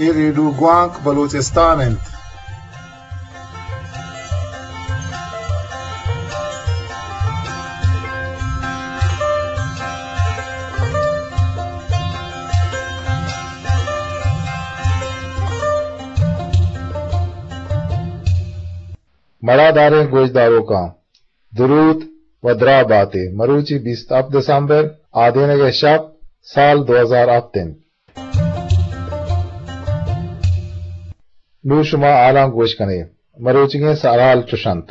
اے ریڈیو گوانک بلوچستان انت۔ مڑاداریں گوشداروکاں درود و دراہ باتے۔ مروچی بیست ہپت دسمبر، آدینگ ءِ شپ، سال دو ہزار ہپت انت۔ نوں شما حالاں گوش کن ئے۔ مروچیگیں سرحال چش انت۔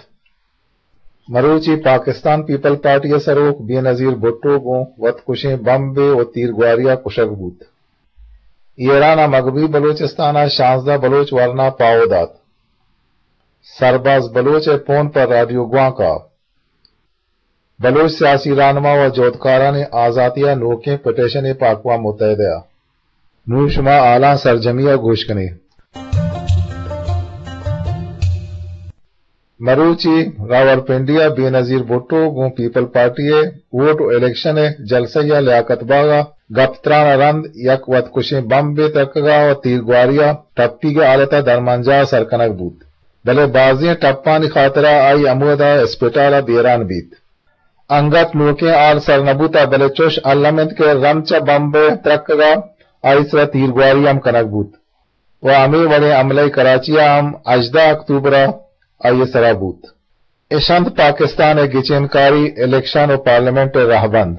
مروچی پاکستان پیپلز پارٹی ءِ سروک بے نظیر بھٹو گوں وت کشیں بمبے و تیرگواری ءَ کشگ بوت۔ ایران ءَ مغربی بلوچستان ءَ شانزدہ بلوچ ورنا پاہو دات۔ سرباز بلوچ ءِ پون پہ رادیو گوانک ءَ۔ بلوچ سیاسی راہنما و جہدکارانی آزاتی ءِ نوکیں پٹیشنے پہ اقوام متحدہ ءَ۔ نوں شما حالاں سرجمی ءَ گوش کن ئے۔ مروچی راولپنڈی ءَ بے نظیر بھٹو گوں پیپلز پارٹی ءِ ووٹ و الیکشن ءِ جلسہ ءَ لیاقت باغ ءَ گپ تران ءَ رند یک وتکشیں بمبے ترکگ ءَ و تیرگواری ءَ ٹپیگ ءِ حالت ءَ درمانجاہ ءَ سر کنگ بوت، بلے بازیں ٹپانی خاطر ءَ آئی ہمودا اسپتال ءَ بیران بیت۔ انگت نوکیں حال سر نہ بوتگ، بلے چش الم انت کہ رند چہ بمب ءِ ترکگ ءَ آئی سرا تیرگواری ہم کنگ بوت و ہمے وڑیں حملہ کراچی ءَ ہم ہژدہ اکتوبر ءَ آئی سرا بوت۔ اش انت پاکستان ءِ گچینکاری، الیکشن و پارلیمنٹ ءِ رہبند۔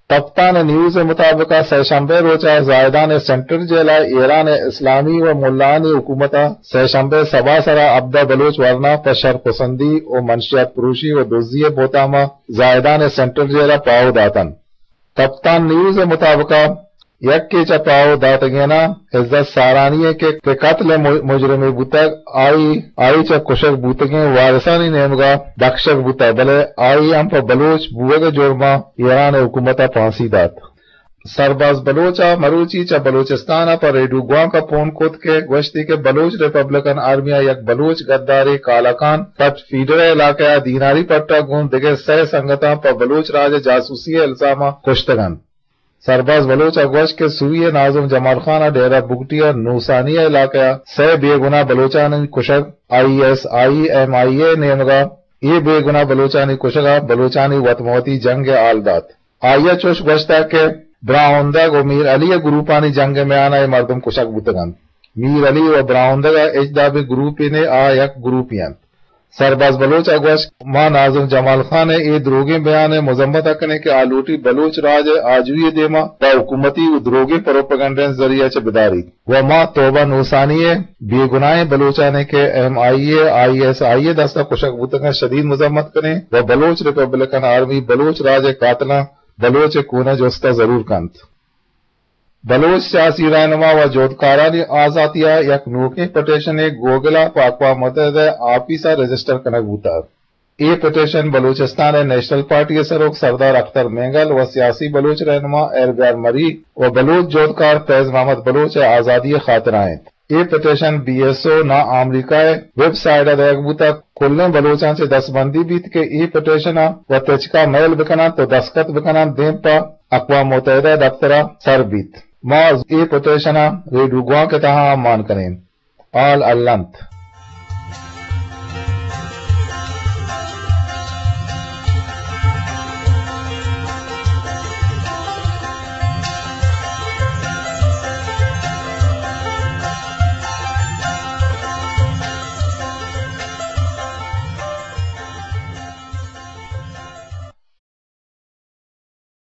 کپتان نیوز ءِ مطابق ءَ سئے شمبے روچ ءَ زاہدان ءِ سینٹرل جیل ءَ ایران ءِ اسلامی و ملایانی حکومت ءَ سئے شمبے سبا سرا ہبدہ بلوچ ورنا پہ شرپسندی و منشیات پروشی و دزی ءِ بہتام ءَ زاہدان ءِ سینٹرل جیل ءَ پاہو داتنت۔ کپتان نیوز ءِ مطابق ءَ یکے چہ پاہو داتگیناں عزت سارانی ءَ کہ، کہ قتل ءِ مج-، مجرمے بوتگ، آئی، آئی چہ کشگ بوتگیں وارثانی نیمگ ءَ بکشگ بوتگ، بلے آئی ہم پہ بلوچ بوگ ءِ جرم ءَ ایران ءِ حکومت ءَ پھانسی دات۔ سرباز بلوچ ءَ مروچی چہ بلوچستان ءَ پہ ریڈیو گوانک ءَ پون کت کہ گوشتی کہ بلوچ ریپبلکن آرمی ءَ یک بلوچ گدارے کالاکان پٹ فیڈر ءِ علاقہ ءَ دیناری پٹ ءَ گوں دگہ سئے سنگتاں پہ بلوچ راج ءِ جاسوسی ءِ الزام ءَ کشتگ انت۔ سرباز بلوچ ءَ گوشت کہ سوئی ءِ ناظم جمال خان ءَ ڈیرہ بگٹی ءِ نوسانی ءِ علاقہ ءَ سئے بے گناہ بلوچانی کشگ، آئی ایس آئی، ایم آئی اے ءِ نیمگ ءَ اے بے گناہ بلوچانی کشگ ءَ بلوچانی وت مہ وتی جنگ ءِ حال دات۔ آئی ءَ چوش گوشتگ کہ براہندگ و میر علی ءِ گروپانی جنگ ءِ میان ءَ اے مردم کشگ بوتگ انت۔ میر علی و براہندگ ءَ ہچ دابیں گروپے نے، آ یک گروپے انت۔ سرباز بلوچ ءَ گوشت، ما ناظم جمال خان ءِ اے دروگیں بیان ءِ مذمت ءَ کنیں کہ آ لوٹی بلوچ راج ءِ آجوئی ءِ دیما پہ حکومتی و دروگیں پروپیگنڈا ءِ ذریعہ چہ بداریت و ما توبہ نوسانی ءِ بے گناہیں بلوچانے کہ ایم آئی اے، آئی ایس آئی ءِ دست ءَ کشگ بوتگاں شدید مذمت کنیں و بلوچ ریپبلکن آرمی بلوچ راج ءِ قاتلاں بلوچ ءِ کون ءِ جست ءَ ضرور کنت۔ بلوچ سیاسی رہنما و جہدکارانی آزاتی ءَ یک نوکیں پٹیشنے گوگل ءَ پہ اقوام متحدہ ءِ آفیس ءَ رجسٹر کنگ بوتگ۔ اے پٹیشن بلوچستان ءِ نیشنل پارٹی ءِ سروک سردار اختر مینگل و سیاسی بلوچ رہنما ہیر بیار مری و بلوچ جہدکار فیض محمد بلوچ ءِ آزادی ءِ خاطر ءَ انت۔ اے پٹیشن بی ایس او نا امریکہ ءِ ویب سائٹ ءَ دئیگ بوتگ۔ کلیں بلوچاں چہ دستبندی بیت کہ اے پٹیشن ءَ و تچک ءَ میل بکننت و دستخط بکننت، دیم پہ اقوام متحدہ ءِ دپتر ءَ سر بیت۔ ما اے پٹیشن ءَ ریڈیو گوانک ءِ تہا ہم مان کنیں۔ حال الم انت۔